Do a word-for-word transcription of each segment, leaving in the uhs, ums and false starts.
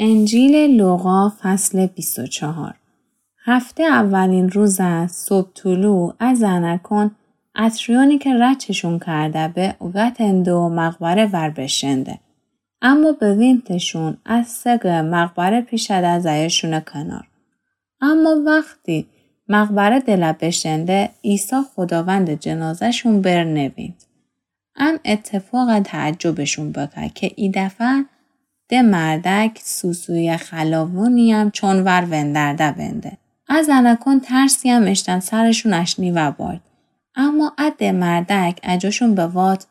انجیل لوقا، فصل بیست و چهار. هفته اولین روز از صبح طلوع، ا زنکون عطریونی که رچشون کرده به، اوگتنده و مقبره ور بشنده. اما بوینتشون از سگ مقبره پیشده زایشون کنار. اما وختی مقبره دله بشنده، عیسی خداوند جنازه‌شون بر نوینت. ام اتفاق تعجبشون بکه که ایدفعه ده مردک سوسوی خلاوونیم چون ور وندرده بنده. ا زنکون ترسیم اشتن سرشون اشنیوه بارد. اما ا ده مردک اجوشون بوات: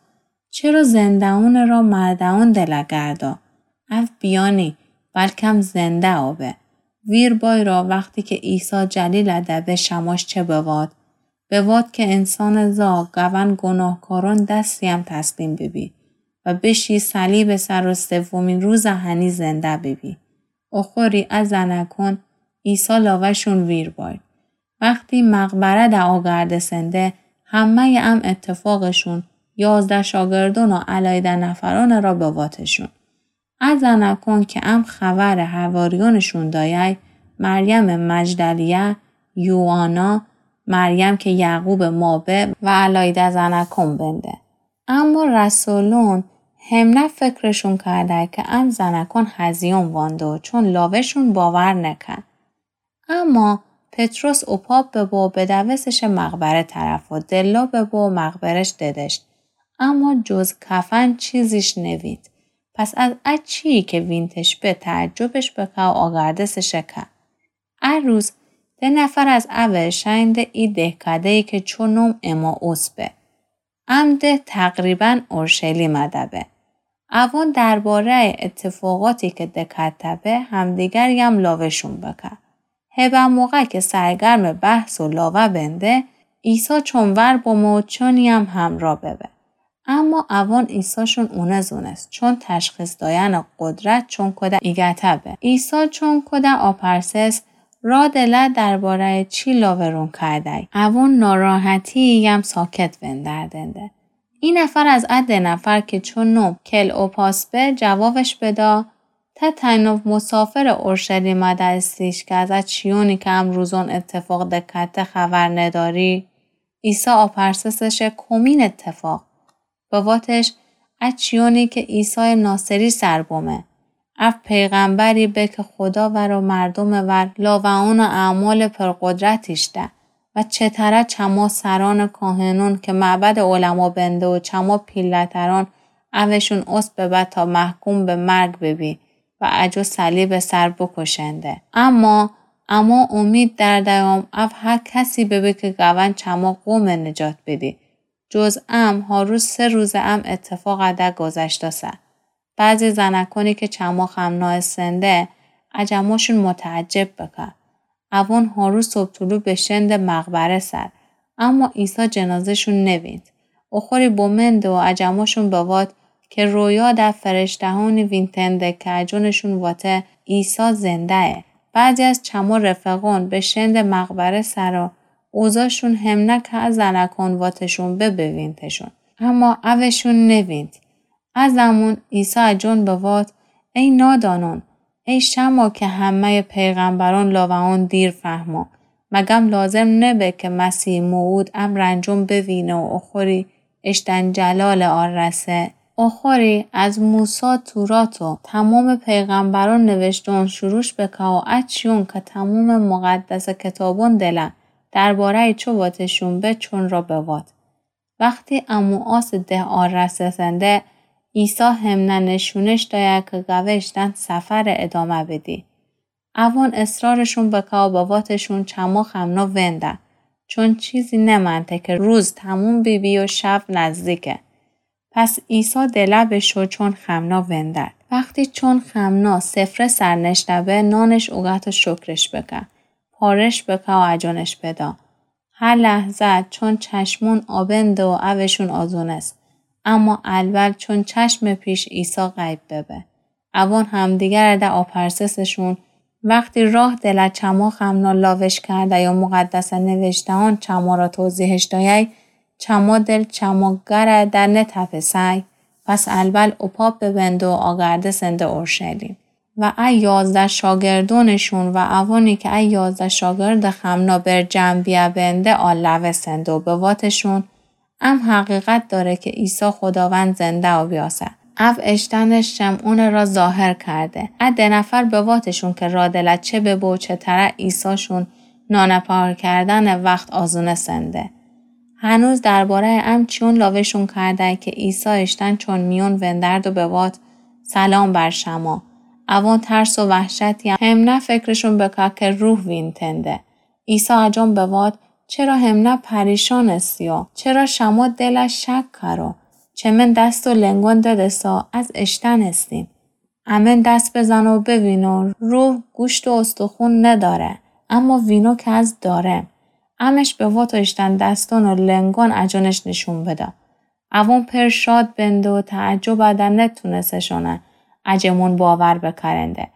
چرا زنده‌ون را مرده‌ون دله گردا؟ او بیانی، بلکم زنده آبه. ویر بای را وختی که عیسی جلیله ده به، شماش چه بوات؟ بوات که انسان زا گون گناهکارون دستیم تسلیم ببی و بشی صلیب سر و سومین روز هنی زنده ببی. اخوری ا زنکون عیسی لاوه‌شون ویر بای. وختی مقبره ده آگردسنده، همه‌ی ام اتفاقشون یازده شاگردون و علایده نفرون را بواتشون. ا زنکون که ام خبر حواریونشون دایه، مریم مجدلیه، یوآنا، مریم که یعقوب مابه و علایده زنکون بنده. اما رسولون همنه فکرشون کرده که ام زنکون هزیون وانده و چون لاوه‌شون باور نکن. اما پطرس اوپا ببو و بدوستش مقبره طرف و دلا ببو و مقبره‌ش ددشت. اما جز کفن چیزیش نوید. پس از ا چیی که وینتش به تعجبش بکه و آگردستش که. ا روز ده نفر از اوه شأنده ای دهکده‌یی که چو نوم امائوس به. ام ده تقریباً اورشلیم ده به. اوون درباره‌ی اتفاقاتی که دکته به همدیگریم لاوه‌شون بکه. هبه موقع که سرگرم بحث و لاوه بنده، عیسی چون ور بمو و چونیم همرا ببه. اما اوون عیساشون اونه زونست، چون تشخیص دایأن قدرت چون کوده ایگته به. عیسی چون کوده آپرسس، رادله درباره‌ی چی لاورون کردی؟ اوون ناراحتی‌یم ساکت وندردنده. ای نفر از ا ده نفر که چون نوم کلئوپاس به، جوابش بدا، ته تنها مسافر اورشلیم ده استیش که از ا چیونی که ا روزون اتفاق دکته خبر نداری؟ عیسی آپرسسش کومین اتفاق؟ بواتش، ا چیونی که عیسی ناصری سر بومه. او پیغمبری به که خودا ور و مردوم ور لاوه‌ان و اعمال پرقدرتیش ده و چتره چما سران کاهنون که معبد علما بنده و چما پیلترون اوشون اوست ببه تا محکوم به مرگ ببی و اجو صلیب سر بکشنده. اما، اما امید دردیم او هر کسی ببه که گون چما قوم نجات بدی. جز ام، هارو سه روز ام اتفاق ده گذشتاسه. بعضی زنکونی که چما خمنا استنده، اجموشون متعجب بکه. اوون هارو صبح طلوع بشنده مقبره سر، اما عیسی جنازه‌شون نوینت. اخوری بمنده و اجموشون بوات که رویا ده فرشته‌هانی وینتنده که اجونشون واته عیسی زنده‌یه. بعضی از چما رفقون بشنده مقبره سر و اوزاشون همنه که ا زنکون واتشون به بوینتشون. اما اوشون نوینت. ا زمون عیسی اجون بوات، ای نادانون، ای شما که همه‌ی پیغمبرون لاوه‌ان دیر فهمو، مگم لازم نبه که مسیح موعود ا رنجون بوینه و اخوری اشتن جلال آرسه؟ اخوری از موسی تورات و تمام پیغمبرون نوشته‌ان شروش بکه و ا چیون که تمام مقدس کتابون دله درباره‌ی چو واتشون به چون را بوات. وختی اموآس ده آرسسنده، عیسی همنه نشونش دایه که گوه اشتن سفر ادامه بدی. اوون اصرارشون بکه و بواتشون چما خمنا ونده، چون چیزی نمنده که روز تموم بیبی و شب نزدیکه. پس عیسی دله بشو چون خمنا وندرد. وختی چون خمنا سفره سر نشته به، نانش اوگت و شکرش بکه، پارش بکه و اجونش بدا. هه لحظه چون چشمون آبنده و اوشون آزونست، اما الول چون چشم پیش عیسی غیب ببه. اوون همدیگر ده آپرسسشون، وختی راه دله چما خمنا لاوش کرده یا مقدس نوشته‌ان چما را توضیحش دایه، چما دل چما گره ده نتپسه؟ پس الول اوپا ببنده و آگردسنده اورشلیم. و ا یازده شاگردونٚشون و اوانی که ا یازده شاگردٚ خمنا بر جمع بیه بنده آلوه سنده و بواتشون: ام حقیقت داره که عیسی خوداوند زنده و بیاسه. او اشتنٚ شمعونٚ را ظاهر کرده. ا ده نفر بواتشون که رادلت چه ببه و چه تره عیساشون نانه پهار کردنٚ وخت آزونه سنده. هنوز دربارهٔ ام چیون لاوه‌شون کرده که عیسی اشتن چون میون وندرد و بوات: سلام بر شما. اوان ترس و وحشتی همنه فکرشون بکه که روح وینتنده. عیسی اجان بوات: چرا همنه پریشان استیو؟ چرا شما دل شک کرو؟ چه من دست و لنگون ددسا از اشتن استیم. امن دست بزنو و بوینو، روح گوشت و استخون نداره، اما وینو که از داره. امش بوات و اشتن دستون و لنگون اجانش نشون بده. اوان پر شاد بنده و تعجب ده نتونسشونه اجمون باور بکرنده.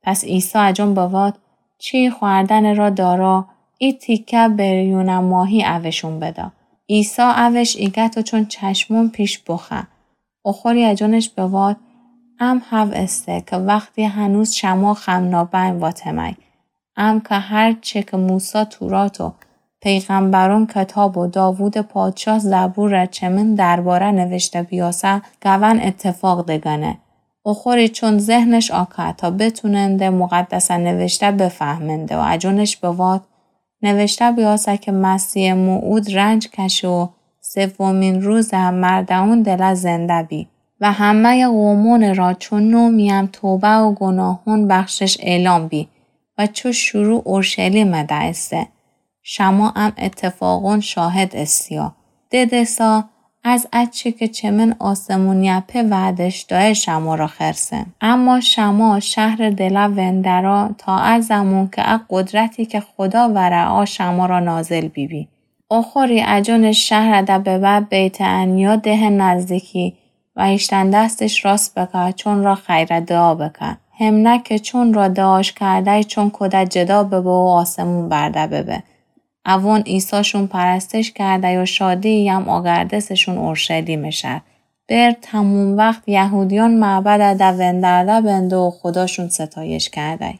پس عیسی اجان بوات: چی خوردنٚ را دارا؟ ای تیکه بریونه ماهی اوشون بده. عیسی اوش ایگه تا چون چشمون پیش بخه. اوخوری اجانش بوات: ام هو استه که وختی هنوز شما خمنا بین واتمه، ام که هر چه که موسی تورات و پیغمبرون کتاب و داوود پادشاه زبور چه من درباره نوشته بیاسه، گون اتفاق دگنه. اوخوری چون ذهنش آکه تا بتوننده مقدسه نوشته بفهمنده و اجانش بوات: نوشته بیاسه که مسیح موعود رنج کشه و سومین روز مردهون دله زنده بی و همهٔ قومون را چو نو میم توبه و گناهون بخشش اعلام بی و چو شروع اورشلیم ده استه. شما ام اتفاقون شاهد استیا. ددسا از اچه که چه من آسمونیه په وعدش دایه شما را خرسم. اما شما شهر دله وندرا تا ا زمون که ا قدرتی که خودا وره آ شما را نازل بیبی. اوخوری اجانش شهر ده ببه بیت عنیا ده نزدیکی و ایشتن دستش راست بکه چون را خیره دعا بکه. همنه که چون را دعاش کرده چون کوده جدا ببه و آسمون برده ببه. اوان عیساشون پرستش کرده و شادی یم آگردسشون اورشلیم شهر. بر تموم وخت یهودیان معبد ده وندرده بنده و خوداشون ستایش کرده.